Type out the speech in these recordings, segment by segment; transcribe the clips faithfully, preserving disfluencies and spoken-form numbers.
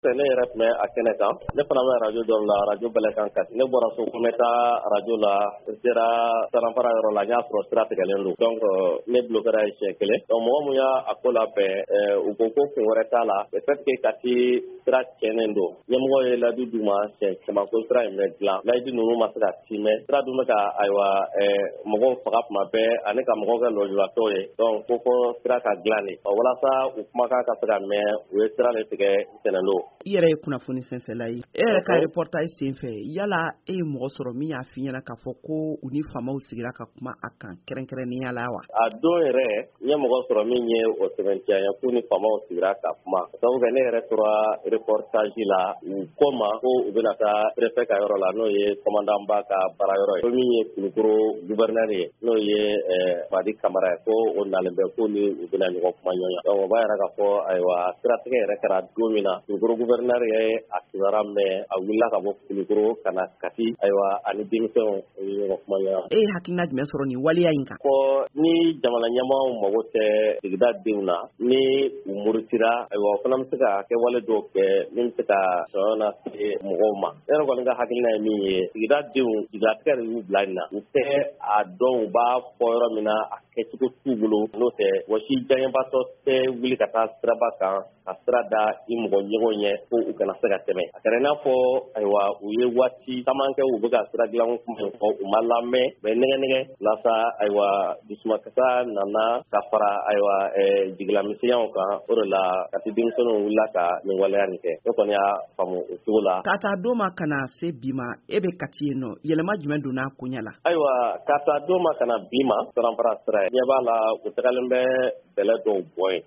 Ne yɛrɛ tun bɛ a kɛnɛ kan, ne fana bɛ arajo dɔ la, arajo Bɛlɛkan Kati. Ne bɔra so ko n bɛ taa arajo la, n sera Saranfara yɔrɔ la, n y'a sɔrɔ sira tigɛlen don, donc ne bloquera yen siɲɛ kelen. Donc mɔgɔ mun y'a ko labɛn, u ko ko kun wɛrɛ t'a la, le fait que Kati sira tiɲɛnen don. Ɲɛmɔgɔ ye layidu d'u ma siɲɛ caman ko sira in bɛ dilan, layidu ninnu ma se ka timɛ. Sira dun bɛ ka, ayiwa, mɔgɔw faga tuma bɛɛ ani ka mɔgɔw kɛ lujuratɔw ye. Donc ko fɔ sira ka dilan de walasa u kumakan ka se ka mɛn. U ye sira de tigɛ ntɛnɛn don. I yɛrɛ ye kunnafoni sɛnsɛnla ye, e yɛrɛ ka reportage sen fɛ, yala e ye mɔgɔ sɔrɔ min y'a f'i ɲɛna k'a fɔ ko u ni faamaw sigira ka kuma a kan kɛrɛnkɛrɛnnenya la wa? A don yɛrɛ, n ye mɔgɔ sɔrɔ min ye o sɛbɛntiya ye k'u ni faamaw sigira ka kuma, sabu kɛ ne yɛrɛ tora reportage la, u ko ma ko u bɛna taa préfet ka yɔrɔ la, n'o ye commandant ba ka baara yɔrɔ ye, ko min ye Kulukoro gouverneur ye, n'o ye Madi Kamara ye, ko o nalen bɛ, ko ni u bɛna ɲɔgɔn kuma ɲɔgɔn. Donc o b'a yira k'a fɔ, ayiwa, siratigɛ yɛrɛ kɛra don min na, Kulukoro gouverneur ye a kibaruya mɛn, a wulila ka bɔ Kulukoro ka na Kati, ayiwa, ani denmisɛnw ye ɲɔgɔn kuma ɲɔgɔn. E ye hakilina jumɛn sɔrɔ nin waleya in kan? Ko ni jamana ɲɛmaaw mago tɛ sigida denw na, ni u murutira, ayiwa, o fana bɛ se ka kɛwale dɔw kɛ min bɛ se ka sɔrɔ lase mɔgɔw ma. Ne yɛrɛ kɔni ka hakilina ye min ye, sigida denw jigilatigɛ de y'u bila nin na, u tɛ a dɔn u b'a fɔ yɔrɔ min na, a kɛcogo t'u bolo. N'o tɛ, wɔsi diyaɲɛbatɔ tɛ wuli ka taa siraba kan ka sira da i mɔgɔ ɲɔgɔn ɲɛ ko u kana se ka tɛmɛ. A kɛra i n'a fɔ, ayiwa, u ye waati caman kɛ u bɛ ka sira dilan kuma in fɔ, u ma lamɛn, u bɛ nɛgɛ nɛgɛ walasa, ayiwa, dusumakasa nana ka fara, ayiwa, jigilamisɛnyaw kan. O de la Kati denmisɛnninw wulila ka nin waleya nin kɛ. Ne kɔni y'a faamu o cogo la. Ka taa don ma ka na se bi ma, e bɛ Kati yen nɔ, yɛlɛma jumɛn donna koɲɛ la? Ayiwa, ka taa don ma ka na bi ma, Saranfara sira ye, ɲɛ b'a la u tagalen bɛ bɛlɛ dɔw bɔ yen.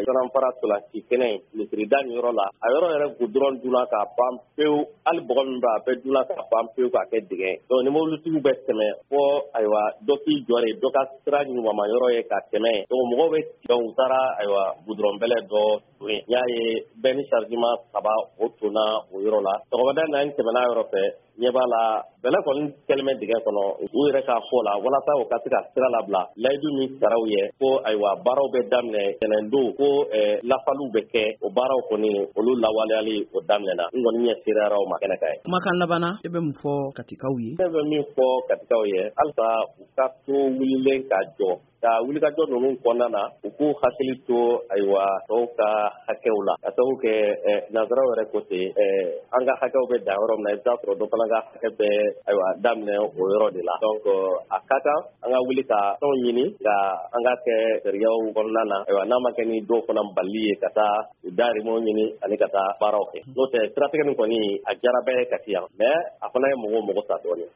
Saranfara tolanci kɛnɛ in, misirida nin yɔrɔ la, a yɔrɔ yɛrɛ goudron dunna k'a ban pewu. Hali bɔgɔ min bɛ, a bɛɛ dunna k'a ban pewu k'a kɛ dingɛ. Donc ni mobilitigiw bɛ tɛmɛ fɔ, ayiwa, dɔ k'i jɔ de dɔ ka sira ɲumanma yɔrɔ ye ka tɛmɛ. Donc mɔgɔw bɛ, donc u taara, ayiwa, goudron bɛlɛ dɔ ton yen. N y'a ye bɛɛ ni chargement saba o tonna o yɔrɔ la. Sɔgɔmada in na, n tɛmɛna yɔrɔ fɛ, ɲɛ b'a la bɛlɛ kɔni kɛlen bɛ dingɛ kɔnɔ. U yɛrɛ k'a fɔ la, walasa u ka se ka sira labila, layidu min sara u ye ko, ayiwa, baaraw bɛ daminɛ ntɛnɛn don, ko lafaliw bɛ kɛ, o baaraw kɔni olu lawaleyali o daminɛna. N kɔni ɲɛ sereyara o ma kɛnɛ kan ye. Kumakan labanna, e bɛ mun fɔ Katikaw ye? Ne bɛ min fɔ Katikaw ye, halisa u ka to wulilen ka jɔ ka wulikajɔ ninnu kɔnɔna na, u k'u hakili to, ayiwa, tɔw ka hakɛw la, ka sababu kɛ nanzaraw yɛrɛ ko ten, an ka hakɛw bɛ dan yɔrɔ min na, i bɛ taa sɔrɔ dɔ fana ka hakɛ bɛ, ayiwa, daminɛ o yɔrɔ de la. Donc a ka kan an ka wuli ka fɛnw ɲini ka an ka kɛ sariyaw kɔnɔna na, ayiwa, n'a ma kɛ ni dɔw fana balili ye ka taa u dahirimɛw ɲini ani ka taa baaraw kɛ. N'o tɛ, siratigɛ nin kɔni a diyara bɛɛ ye Kati yan, mais a fana ye mɔgɔw mago sa dɔɔnin.